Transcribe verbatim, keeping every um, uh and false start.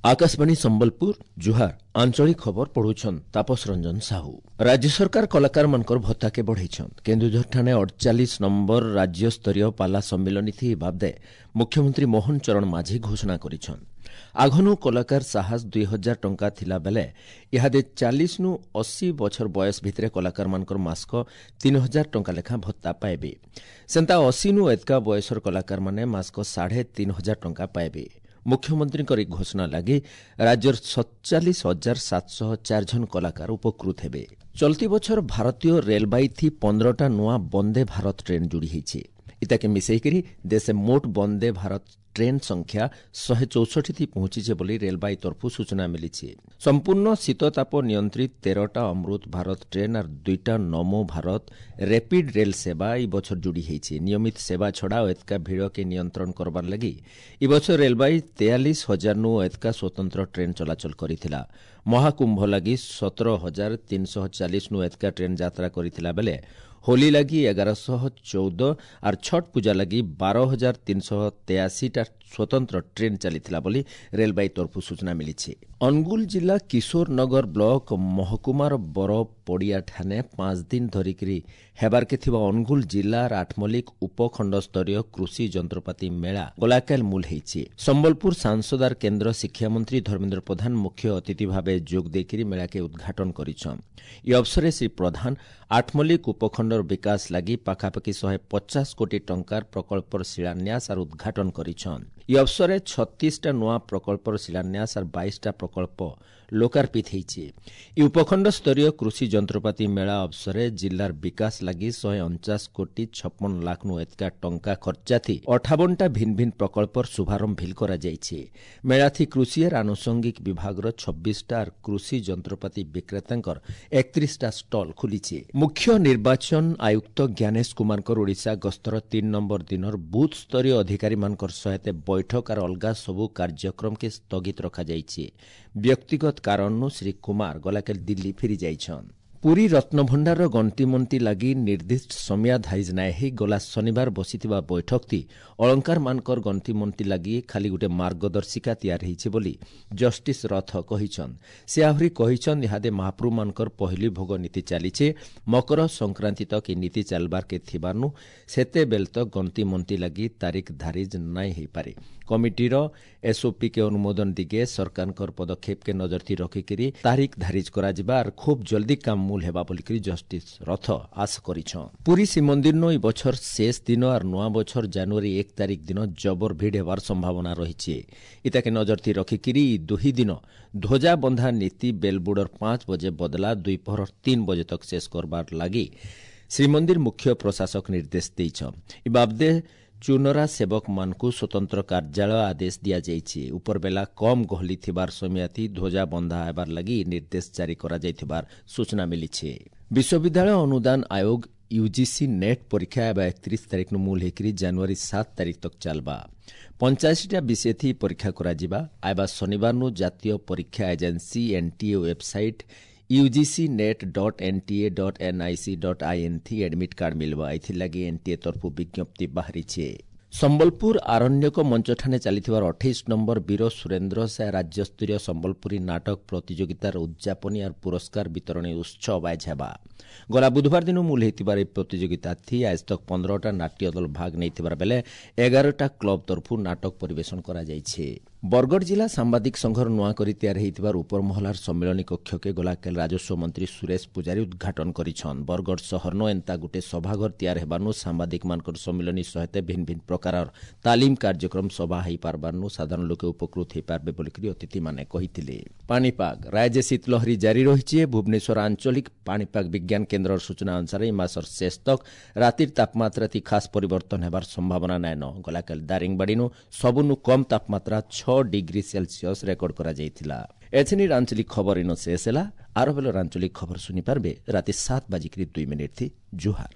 ଆକାଶବାଣୀ ସମ୍ବଲପୁର ଜୁହାର ଆଞ୍ଚଳିକ ଖବର ପଢୁଛନ୍ ତାପସ ରଞ୍ଜନ ସାହୁ ରାଜ୍ୟ ସରକାର କଳାକାରମାନଙ୍କର ଭତ୍ତାକେ ବଢ଼େଇଛନ୍ କେନ୍ଦୁଝରଠାନେ ଅଡ଼ଚାଳିଶ ନମ୍ବର ରାଜ୍ୟସ୍ତରୀୟ ପାଲା ସମ୍ମିଳନୀ ଥି ବାବଦେ ମୁଖ୍ୟମନ୍ତ୍ରୀ ମୋହନ ଚରଣ ମାଝୀ ଘୋଷଣା କରିଛନ୍ ଆଘନୁ କଳାକାର ସାହସ ଦୁଇ ହଜାର ଟଙ୍କା ଥିଲା ବେଲେ ଇହାଦେ ଚାଳିଶନୁ ଅଶୀ ବଛର ବୟସ ଭିତରେ କଳାକାରମାନଙ୍କର ମାସକ ତିନି ହଜାର ଟଙ୍କା ଲେଖା ଭତ୍ତା ପାଇବେ ସେନ୍ତା ଅଶୀନୁ ଏତକା ବୟସର କଳାକାରମାନେ ମାସକ ସାଢ଼େ ତିନି ହଜାର ଟଙ୍କା ପାଇବେ ମୁଖ୍ୟମନ୍ତ୍ରୀଙ୍କର ଏହି ଘୋଷଣା ଲାଗି ରାଜ୍ୟର ସତଚାଳିଶ ହଜାର ସାତଶହ ଚାରି ଜଣ କଳାକାର ଉପକୃତ ହେବେ ଚଲତି ବଛର ଭାରତୀୟ ରେଲବାଇ ଥି ପନ୍ଦରଟା ନୂଆ ବନ୍ଦେ ଭାରତ ଟ୍ରେନ୍ ଯୋଡ଼ି ହେଇଛି ଇତାକେ ମିଶେଇକରି ଦେଶେ ମୋଟ ବନ୍ଦେ ଭାରତ ଟ୍ରେନ୍ ସଂଖ୍ୟା ଶହେ ଚଉଷଠି ଥି ପହଞ୍ଚିছে ବୋଲି ରେଲବାଇ ତରଫରୁ ସୂଚନା ମିଳିଛି ସମ୍ପୂର୍ଣ୍ଣ ଶୀତତାପ ନିୟନ୍ତ୍ରିତ ତେରଟା ଅମୃତ ଭାରତ ଟ୍ରେନ୍ ଆର୍ ଦୁଇଟା ନମୋ ଭାରତ ରେପିଡ୍ ରେଲ୍ ସେବା ଇ ବଛର ଯୋଡ଼ି ହେଇଛି ନିୟମିତ ସେବା ଛଡ଼ା ଏତକା ଭିଡ଼କେ ନିୟନ୍ତ୍ରଣ କରବାର ଲାଗି ଇ ବଛର ରେଲବାଇ ତେୟାଳିଶ ହଜାରନୁ ଏତକା ସ୍ୱତନ୍ତ୍ର ଟ୍ରେନ୍ ଚଳାଚଳ କରିଥିଲା ମହାକୁମ୍ଭ ଲାଗି ସତର ହଜାର ତିନିଶହ ଚାଳିଶନୁ ଏତକା ଟ୍ରେନ୍ ଯାତ୍ରା କରିଥିଲା ବେଲେ ହୋଲି ଲାଗି ଏଗାରଶହ ଚଉଦ ଆର୍ ଛଟ୍ ପୂଜା ଲାଗି ବାର ହଜାର ତିନିଶହ ତେୟାଅଶୀଟା ସ୍ୱତନ୍ତ୍ର ଟ୍ରେନ୍ ଚାଲିଥିଲା ବୋଲି ରେଲବାଇ ତରଫରୁ ସୂଚନା ମିଳିଛି ଅନୁଗୁଳ ଜିଲ୍ଲା କିଶୋରନଗର ବ୍ଲକ ମହକୁମାର ବର ପଡ଼ିଆଠାନେ ପାଞ୍ଚ ଦିନ ଧରିକିରି ହେବାର୍କେ ଥିବା ଅନୁଗୁଳ ଜିଲ୍ଲାର ଆଠମଲ୍ଲିକ ଉପଖଣ୍ଡସ୍ତରୀୟ କୃଷି ଯନ୍ତ୍ରପାତି ମେଳା ଗଲାକାଲ ମୂଲ ହେଇଛି ସମ୍ବଲପୁର ସାଂସଦ ଆର୍ କେନ୍ଦ୍ର ଶିକ୍ଷାମନ୍ତ୍ରୀ ଧର୍ମେନ୍ଦ୍ର ପ୍ରଧାନ ମୁଖ୍ୟ ଅତିଥି ଭାବେ ଯୋଗ ଦେଇକରି ମେଳାକେ ଉଦ୍ଘାଟନ କରିଛନ୍ ଇ ଅବସରରେ ଶ୍ରୀ ପ୍ରଧାନ ଆଠମଲ୍ଲିକ ଉପଖଣ୍ଡର ବିକାଶ ଲାଗି ପାଖାପାଖି ଶହେ ପଚାଶ କୋଟି ଟଙ୍କାର ପ୍ରକଳ୍ପର ଶିଳାନ୍ୟାସ ଆର୍ ଉଦ୍ଘାଟନ କରିଛନ୍ ଇ ଅବସରରେ ଛତିଶଟା ନୂଆ ପ୍ରକଳ୍ପର ଶିଳାନ୍ୟାସ ଆର୍ ବାଇଶଟା ପ୍ରକଳ୍ପ ଲୋକାର୍ପିତ ହେଇଛି ଇ ଉପଖଣ୍ଡ ସ୍ତରୀୟ କୃଷି ଯନ୍ତ୍ରପାତି ମେଳା ଅବସରରେ ଜିଲ୍ଲାର ବିକାଶ ଲାଗି ଶହେ ଅଣଚାଶ କୋଟି ଛପନ ଲାଖନୁ ଏତକା ଟଙ୍କା ଖର୍ଚ୍ଚାଥି ଅଠାବନଟା ଭିନ୍ନ ଭିନ୍ନ ପ୍ରକଳ୍ପର ଶୁଭାରମ୍ଭ ଭିଲ୍ କରାଯାଇଛି ମେଳାଥି କୃଷି ଆର୍ ଆନୁଷଙ୍ଗିକ ବିଭାଗର ଛବିଶଟା ଆର୍ କୃଷି ଯନ୍ତ୍ରପାତି ବିକ୍ରେତାଙ୍କର ଏକତିରିଶଟା ଷ୍ଟଲ୍ ଖୋଲିଛି ମୁଖ୍ୟ ନିର୍ବାଚନ ଆୟୁକ୍ତ ଜ୍ଞାନେଶ କୁମାରଙ୍କର ଓଡ଼ିଶା ଗସ୍ତର ତିନି ନମ୍ବର ଦିନର ବୁଥ୍ ସ୍ତରୀୟ ଅଧିକାରୀମାନଙ୍କର ସହିତ ବୈଠକ ଆର୍ ଅଲଗା ସବୁ କାର୍ଯ୍ୟକ୍ରମକେ ସ୍ଥଗିତ ରଖାଯାଇଛି ବ୍ୟକ୍ତିଗତ କାରଣରୁ ଶ୍ରୀ କୁମାର ଗଲାକାଲି ଦିଲ୍ଲୀ ଫେରି ଯାଇଛନ୍ ପୁରୀ ରତ୍ନଭଣ୍ଡାରର ଗଣ୍ତିମନ୍ତି ଲାଗି ନିର୍ଦ୍ଦିଷ୍ଟ ସମୟା ଧାଇଜ ନାଇଁ ହେଇ ଗଲା ଶନିବାର ବସିଥିବା ବୈଠକଥି ଅଳଙ୍କାରମାନଙ୍କର ଗଣ୍ତିମନ୍ତି ଲାଗି ଖାଲି ଗୋଟେ ମାର୍ଗଦର୍ଶିକା ତିଆରି ହେଇଛି ବୋଲି ଜଷ୍ଟିସ୍ ରଥ କହିଛନ୍ ସେ ଆହୁରି କହିଛନ୍ ଇହାଦେ ମହାପ୍ରଭୁମାନଙ୍କର ପହିଲି ଭୋଗ ନୀତି ଚାଲିଛେ ମକର ସଂକ୍ରାନ୍ତି ତକ୍ ଏ ନୀତି ଚାଲବାର୍କେ ଥିବାର୍ନୁ ସେତେବେଲ୍ ତକ୍ ଗଣ୍ତିମନ୍ତି ଲାଗି ତାରିଖ ଧାରିଜ ନାଇଁ ହେଇପାରେ କମିଟିର ଏସ୍ଓପି କେ ଅନୁମୋଦନ ଦିଗେ ସରକାରଙ୍କର ପଦକ୍ଷେପକେ ନଜରଥି ରଖିକିରି ତାରିଖ ଧାରିଜ କରାଯିବା ଆର୍ ଖୁବ୍ ଜଲ୍ଦି କାମ ମୂଲ ହେବା ବୋଲିକରି ଜଷ୍ଟିସ୍ ରଥ ଆଶ କରିଛନ୍ ପୁରୀ ଶ୍ରୀମନ୍ଦିରନୁ ଇ ବଛର ଶେଷ ଦିନ ଆର୍ ନୂଆ ବଛର ଜାନୁଆରୀ ଏକ ତାରିଖ ଦିନ ଜବର ଭିଡ଼ ହେବାର ସମ୍ଭାବନା ରହିଛି ଇତାକେ ନଜରଥି ରଖିକିରି ଇ ଦୁହି ଦିନ ଧ୍ୱଜା ବନ୍ଧା ନୀତି ବେଲବୁଡ଼ର ପାଞ୍ଚ ବଜେ ବଦଲା ଦ୍ୱିପହର ତିନି ବଜେ ତକ୍ ଶେଷ କରବାର ଲାଗି ଶ୍ରୀମନ୍ଦିର ମୁଖ୍ୟ ପ୍ରଶାସକ ନିର୍ଦ୍ଦେଶ ଦେଇଛନ୍ ଇ ବାବଦେ ଚୁନରା ସେବକମାନଙ୍କୁ ସ୍ୱତନ୍ତ୍ର କାର୍ଯ୍ୟାଳୟ ଆଦେଶ ଦିଆଯାଇଛି ଉପରବେଲା କମ୍ ଗହଲି ଥିବାର ସମୟାଥି ଧ୍ୱଜା ବନ୍ଧା ହେବାର ଲାଗି ନିର୍ଦ୍ଦେଶ ଜାରି କରାଯାଇଥିବାର ସୂଚନା ମିଳିଛି ବିଶ୍ୱବିଦ୍ୟାଳୟ ଅନୁଦାନ ଆୟୋଗ ୟୁଜିସି ନେଟ୍ ପରୀକ୍ଷା ଏବେ ଏକତିରିଶ ତାରିଖନୁ ମୂଲ ହେଇକରି ଜାନୁଆରୀ ସାତ ତାରିଖ ତକ୍ ଚାଲବା ପଞ୍ଚାଅଶୀଟା ବିଷୟଥି ପରୀକ୍ଷା କରାଯିବା ଆଇବା ଶନିବାରନୁ ଜାତୀୟ ପରୀକ୍ଷା agency NTA website UGC net dot NTA dot NIC dot IN ଥି ଆଡମିଟ୍ କାର୍ଡ ମିଲବା ଏଥିଲାଗି ଏନ୍ଟିଏ ତରଫରୁ ବିଜ୍ଞପ୍ତି ବାହାରିଛି ସମ୍ବଲପୁର ଆରଣ୍ୟକ ମଞ୍ଚଠାନେ ଚାଲିଥିବାର ଅଠେଇଶ ନମ୍ବର ବୀର ସୁରେନ୍ଦ୍ର ସାଏ ରାଜ୍ୟସ୍ତରୀୟ ସମ୍ବଲପୁରୀ ନାଟକ ପ୍ରତିଯୋଗିତାର ଉଦ୍ଯାପନୀ ଆର୍ ପୁରସ୍କାର ବିତରଣୀ ଉତ୍ସବ ଆଏଜ ହେବା ଗଲା ବୁଧବାର ଦିନ ମୂଲ ହେଇଥିବାର ଏହି ପ୍ରତିଯୋଗିତା ଥି ଆଜ ତକ୍ ପନ୍ଦରଟା ନାଟ୍ୟ ଦଳ ଭାଗ ନେଇଥିବାର ବେଲେ ଏଗାରଟା କ୍ଲବ ତରଫରୁ ନାଟକ ପରିବେଷଣ କରାଯାଇଛି ବରଗଡ଼ ଜିଲ୍ଲା ସାମ୍ବାଦିକ ସଂଘର ନୂଆ କରି ତିଆରି ହେଇଥିବାର ଉପରମହଲାର ସମ୍ମିଳନୀ କକ୍ଷକେ ଗଲାକାଲି ରାଜସ୍ୱ ମନ୍ତ୍ରୀ ସୁରେଶ ପୂଜାରୀ ଉଦ୍ଘାଟନ କରିଛନ୍ ବରଗଡ଼ ସହରନୁ ଏନ୍ତା ଗୋଟେ ସଭାଘର ତିଆରି ହେବାନୁ ସାମ୍ବାଦିକମାନଙ୍କର ସମ୍ମିଳନୀ ସହିତ ଭିନ୍ନ ଭିନ୍ନ ପ୍ରକାରର ତାଲିମ କାର୍ଯ୍ୟକ୍ରମ ସଭା ହେଇପାରବାରନୁ ସାଧାରଣ ଲୋକେ ଉପକୃତ ହେଇପାରବେ ବୋଲିକରି ଅତିଥିମାନେ କହିଥିଲେ ପାଣିପାଗ ରାଜ୍ୟ ଶୀତଲହରୀ ଜାରି ରହିଛି ଭୁବନେଶ୍ୱର ଆଞ୍ଚଳିକ ପାଣିପାଗ ବିଜ୍ଞାନ କେନ୍ଦ୍ରର ସୂଚନା ଅନୁସାରେ ଏହି ମାସର ଶେଷ ତକ୍ ରାତିର ତାପମାତ୍ରା ଥି ଖାସ୍ ପରିବର୍ତ୍ତନ ହେବାର ସମ୍ଭାବନା ନାଇଁନ ଗଲାକାଲି ଦାରିଙ୍ଗବାଡ଼ିନୁ ସବୁନୁ କମ୍ ତାପମାତ୍ରା ଛଅ ଡିଗ୍ରୀ ସେଲସିୟସ୍ ରେକର୍ଡ କରାଯାଇଥିଲା ଏଥିନି ଆଞ୍ଚଳିକ ଖବର ଇନ ଶେଷ ହେଲା ଆର ବେଲର ଆଞ୍ଚଳିକ ଖବର ଶୁଣିପାରିବେ ରାତି ସାତ ବାଜିକିରି ଦୁଇ ମିନିଟ୍ ଥି ଜୁହାର